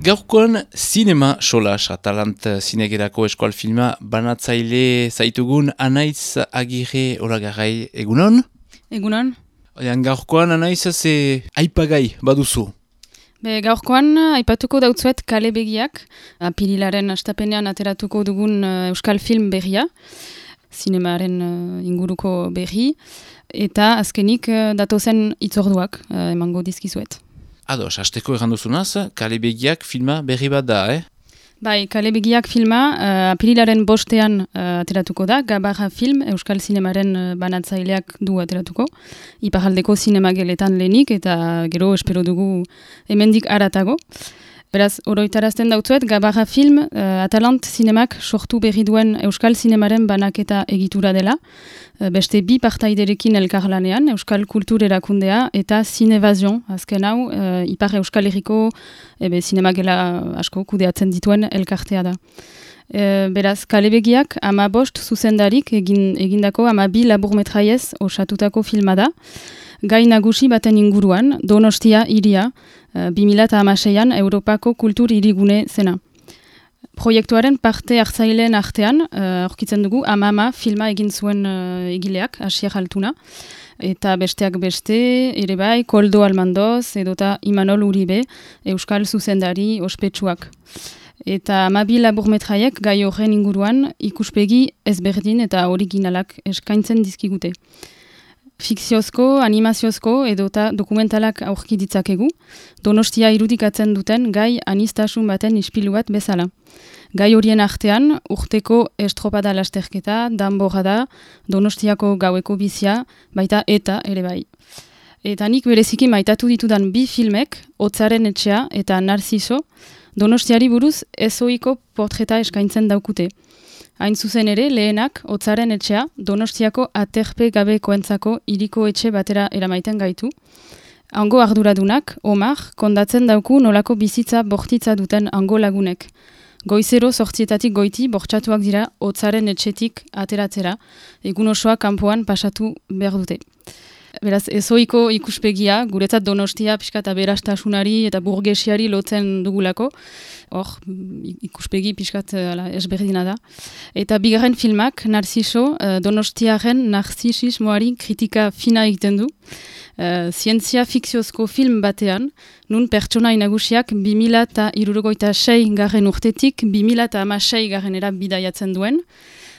Gaurkoan Zinema Solas, Atalant zinegerako eskual filma banatzaile zaitugun Anaiz Agirre Olagarai, egunon? Egunon. Gaurkoan Anaiz ze aipagai baduzu? Gaurkoan aipatuko dautzuet Kale Begiak, apirilaren astapenean ateratuko dugun euskal film berria, zinemaren inguruko berri, eta azkenik datozen itzorduak emango dizkizuet. Ados, hasteko erranduzunaz, Kale Begiak filma berri bat da, Bai, Kale Begiak filma apirilaren 5ean ateratuko da, Gabarra film, euskal zinemaren banatzaileak du ateratuko, iparraldeko zinemageletan lehenik, eta gero espero dugu hemendik haratago. Beraz, oroitarazten dautzuet, Gabarra film, Atalant zinemak sortu berri duen euskal zinemaren banaketa egitura dela, beste bi partaiderekin elkarlanean, euskal kultur erakundea eta Zinevazion, azken hau, ipar euskal herriko zinemagela asko kudeatzen dituen elkartea da. Beraz, Kale Begiak 15 zuzendarik egindako 12 laburmetraiez osatutako filma da, gai nagusi baten inguruan, Donostia hiria, 2016an Europako kultur hirigune zena. Proiektuaren parte hartzaileen artean, aurkitzen dugu, Amama filma egin zuen egileak, Asier Altuna, eta besteak beste, ere bai, Koldo Almandoz, edota Imanol Uribe, euskal zuzendari ospetsuak. Eta 12 laburmetraiek gai horren inguruan ikuspegi ezberdin eta originalak eskaintzen dizkigute. Fikziozko, animaziozko edota dokumentalak aurki ditzakegu, Donostia irudikatzen duten gai anistasun baten ispilu bat bezala. Gai horien artean, urteko estropada lasterketa, danborada, Donostiako gaueko bizia, baita eta ere bai. Eta nik bereziki maitatu ditudan bi filmek, Hotzaren etxea eta Narziso, Donostiari buruz ezoiko portreta eskaintzen daukute. Hain zuzen ere, lehenak, Hotzaren etxea, Donostiako aterpe gabekoentzako hiriko etxe batera eramaiten gaitu. Hango arduradunak, Omar, kondatzen dauku nolako bizitza bortitza duten hango lagunek. Goizero 8 goiti bortxatuak dira Hotzaren etxetik ateratzera, egun osoa kanpoan pasatu behar dute. Beraz, ezoiko ikuspegia, guretzat Donostia pixka eta berastasunari eta burgesiari lotzen dugulako, hor, ikuspegi pixkat ezberdina da. Eta bigarren filmak, Narziso, Donostiaren narzisismoari kritika fina egiten du. Zientzia fikziozko film batean, nun pertsonai nagusiak 2066 garren urtetik 2016 garrenera bidaiatzen duen,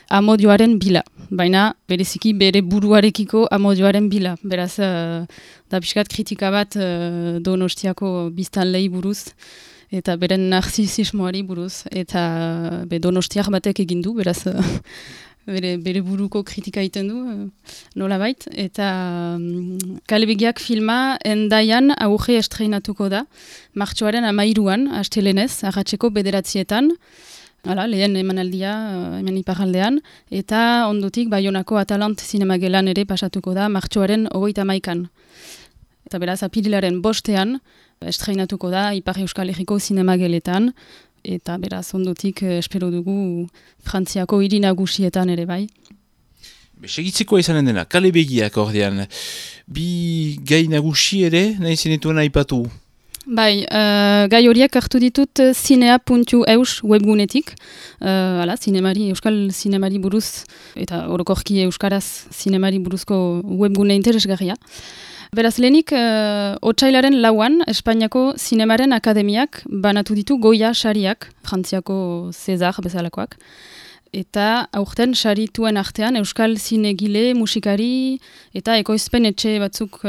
amodioaren bila, baina bereziki bere buruarekiko amodioaren bila. Beraz, da pixkat kritika bat Donostiako biztanlei buruz, eta beren narzisismoari buruz, eta Donostiak batek egin du, beraz, bere buruko kritika egiten du, nolabait. Eta Kale Begiak filma Endaian aurre estreinatuko da, martxoaren 13an, astelenez, arratseko 9:00, lehen emanaldia, hemen iparraldean, eta ondotik Baionako Atalant zinemagelan ere pasatuko da martxoaren 31an. Eta beraz, apirilaren 5ean estreinatuko da Ipar Euskal Herriko zinemageletan, eta beraz, ondotik espero dugu Frantziako hiri nagusietan ere bai. Segitzeko izanen dena, Kale Begiak ordean, bi gai nagusi ere, nahi zenituen aipatu? Bai, gai horiek hartu ditut zinea.eus webgunetik, euskal zinemari buruz, eta orokorki euskaraz zinemari buruzko webgune interesgarria. Beraz, lehenik, otsailaren 4an, Espainiako Zinemaren Akademiak banatu ditu Goya sariak, Frantziako César bezalakoak, eta aurten sarituen artean euskal zinegile, musikari eta ekoizpen etxe batzuk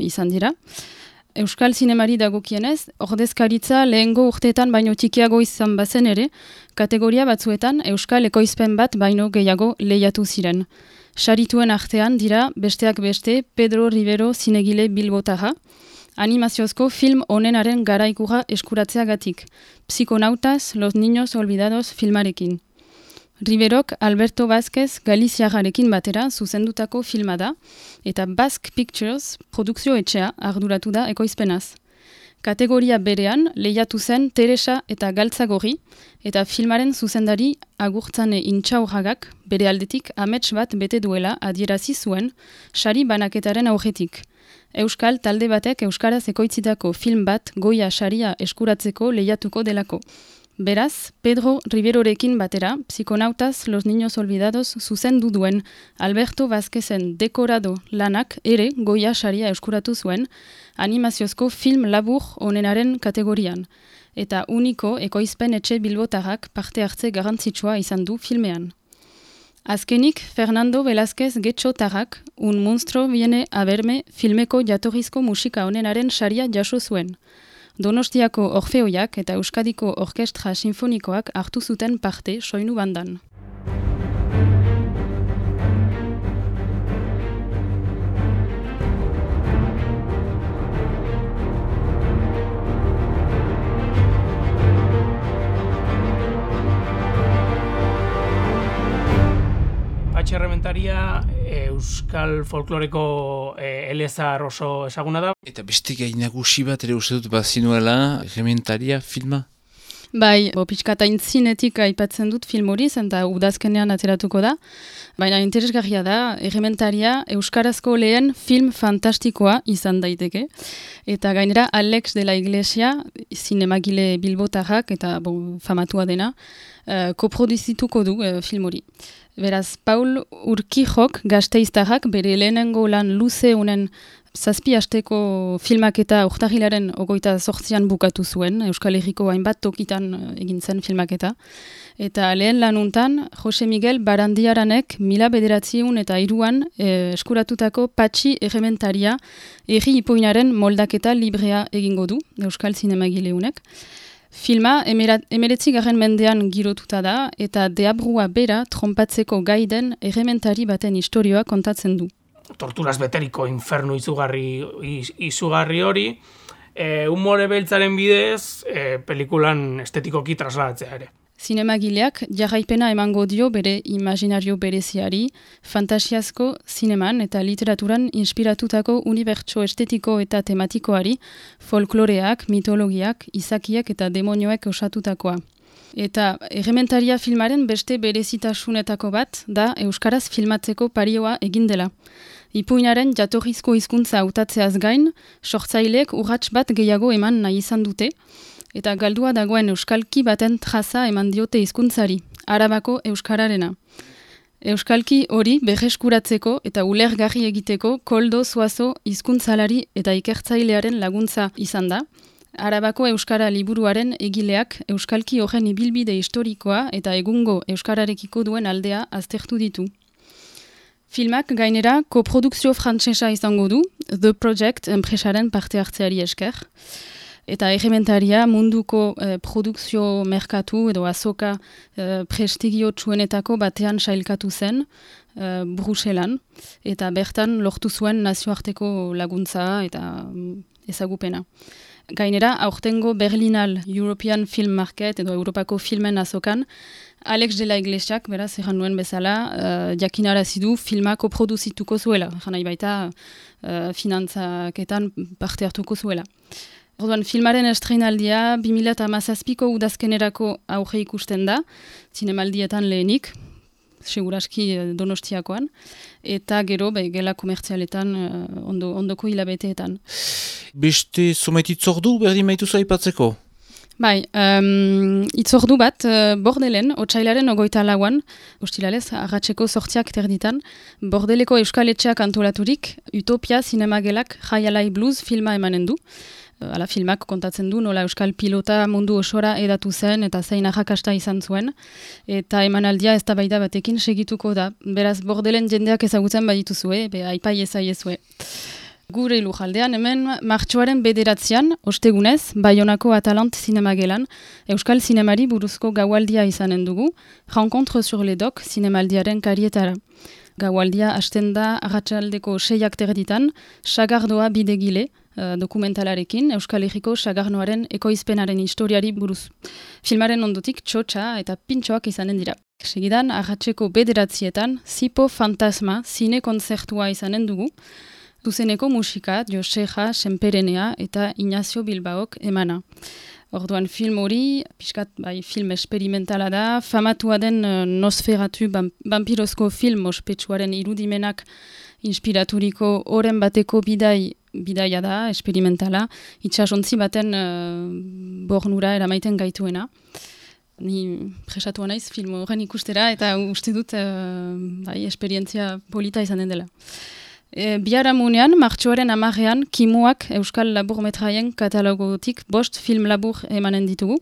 izan dira. Euskal zinemari dagokienez, ordezkaritza lehengo urteetan baino txikiago izan bazen ere, kategoria batzuetan euskal ekoizpen bat baino gehiago lehiatu ziren. Sarituen artean dira, besteak beste, Pedro Rivero zinegile bilbotarra, animaziozko film onenaren garaikura eskuratzeagatik, Psikonautas, Los Niños Olvidados filmarekin. Riverok Alberto Vázquez Galiziarrarekin batera zuzendutako filma da, eta Basque Pictures produkzio etxea arduratu da ekoizpenaz. Kategoria berean lehiatu zen Teresa eta Galtzagorri, eta filmaren zuzendari Agurtzane Intxaurragak bere aldetik amets bat bete duela adierazi zuen sari banaketaren aurretik. Euskal talde batek euskaraz ekoitzitako film bat Goya saria eskuratzeko lehiatuko delako. Beraz, Pedro Riverorekin batera, Psikonautas Los Niños Olvidados zuzendu duen Alberto Vázquezen dekorado lanak ere Goya saria eskuratu zuen animaziozko film labur onenaren kategorian, eta uniko ekoizpen etxe bilbotarrak parte hartze garrantzitsua izan du filmean. Azkenik, Fernando Velázquez Getxotarrak Un monstruo viene a verme filmeko jatorrizko musika onenaren saria jaso zuen. Donostiako Orfeoiak eta Euskadiko Orkestra Sinfonikoak hartu zuten parte soinu bandan. Errementaria euskal folkloreko elezar oso ezaguna da. Eta beste gai nagusi bat ere uste dut bazinuela Errementaria filma? Bai, pixkata intzinetik aipatzen dut film hori, eta udazkenean ateratuko da. Baina interesgarria da, Errementaria euskarazko lehen film fantastikoa izan daiteke. Eta gainera Alex de la Iglesia, zinemagile bilbotarrak eta famatua dena, koproduzituko du film hori. Beraz, Paul Urquijok gazteiztarrak bere lehenengo lan luze honen 7 asteko filmaketa urtarrilaren 28an bukatu zuen, Euskal Herriko hainbat tokitan egin zen filmaketa. Eta lehen lanuntan, Jose Miguel Barandiaranek 1903an eskuratutako Patxi Errementaria herri ipuinaren moldaketa librea egingo du, Euskal Zinemagileunek. Filma 19. mendean girotuta da eta deabrua bera tronpatzeko gaiden errementari baten istorioa kontatzen du. Torturaz beteriko infernu izugarri hori, humore beltzaren bidez, pelikulan estetikoki trasladatzea ere. Zinemagileak jarraipena emango dio bere imaginario bereziari, fantasiazko zineman eta literaturan inspiratutako unibertso estetiko eta tematikoari, folkloreak, mitologiak, izakiak eta demonioek osatutakoa. Eta Errementaria filmaren beste berezitasunetako bat da euskaraz filmatzeko parioa egin dela. Ipuinaren jatorrizko hizkuntza hautatzeaz gain, sortzaileek urrats bat gehiago eman nahi izan dute, eta galdua dagoen euskalki baten traza eman diote hizkuntzari, Arabako euskararena. Euskalki hori berreskuratzeko eta ulergarri egiteko Koldo Zuazo hizkuntzalari eta ikertzailearen laguntza izan da. Arabako euskara liburuaren egileak euskalki horren ibilbide historikoa eta egungo euskararekiko duen aldea aztertu ditu. Filmak gainera koprodukzio frantsesa izango du, The Project enpresaren parte hartzeari esker. Eta Errementaria munduko produkzio merkatu edo azoka prestigio txuenetako batean sailkatu zen Bruselan, eta bertan lortu zuen nazioarteko laguntza eta ezagupena. Gainera, aurtengo Berlinal European Film Market edo Europako filmen azokan, Alex de la Iglesiak, beraz, erran nuen bezala, jakinarazi du filma koproduzituko zuela, janai baita finantzaketan parte hartuko zuela. Orduan, filmaren estreinaldia 2017ko udazkenerako aurre ikusten da, zinemaldietan lehenik, seguraski Donostiakoan, eta gero gela komertzialetan ondoko hilabeteetan. Beste zomait itzordu berdin maituzu aipatzeko? Bai, itzordu bat, Bordelen, otsailaren 24an, ostilalez, arratseko 8 terditan, Bordeleko euskaletxeak antolaturik, Utopia Zinemagelak Jaialai Blues filma emanen du. Ala filmak kontatzen du, nola euskal pilota mundu osora edatu zen eta zein arrakasta izan zuen. Eta emanaldia eztabaida batekin segituko da. Beraz, Bordelen jendeak ezagutzen badituzue, aipai ezaiezue. Gure lujaldean hemen martxoaren 9an, ostegunez, Baionako Atalant Zinemagelan, euskal zinemari buruzko gaualdia izanen dugu, Rencontre sur les Docs zinemaldiaren karietara. Gaualdia hasten da arratsaldeko 6 terditan, Sagardoa bidegile, dokumentalarekin, Euskal Herriko Sagarnoaren ekoizpenaren historiari buruz. Filmaren ondotik txotxa eta pintxoak izanen dira. Segidan, arratseko 9 Zipo Fantasma zine konzertua izanen dugu. Zuzeneko musika Joseja Senperenea eta Ignacio Bilbaok emana. Orduan film hori, pixkat film esperimentala da, famatua den Nosferatu vampirozko film ospetsuaren irudimenak inspiraturiko oren bateko bidaia da, esperimentala, itxasontzi baten bornura eramaiten gaituena. Ni presatua naiz film horren ikustera eta uste dut esperientzia polita izanen dela. Biharamunean, martxoaren 10ean, Kimuak Euskal Laburmetraien katalogotik 5 film labur emanen ditugu.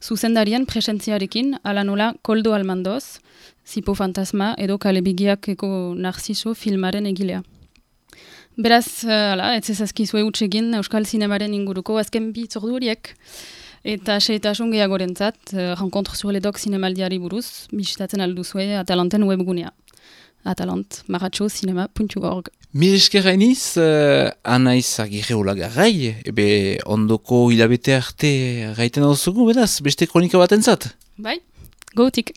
Zuzendarien presentziarekin, ala nola Koldo Almandoz, Zipo Fantasma edo Kalebigiakeko Narciso filmaren egilea. Beraz, ez ezazkizue utsegin Euskal Zinemaren inguruko azken bi itzordu horiek. Eta seitasun gehiagorentzat, Rencontre sur les Docs zinemaldiari buruz, bisitatzen alduzue Atalanten webgunea. atalant-cinema.org. Mil esker hainiz, Anaiz Agirre Olagarrai, ondoko hilabete arte gaiten hau zugu, beraz, beste kronika bat entzat. Bai, gotik.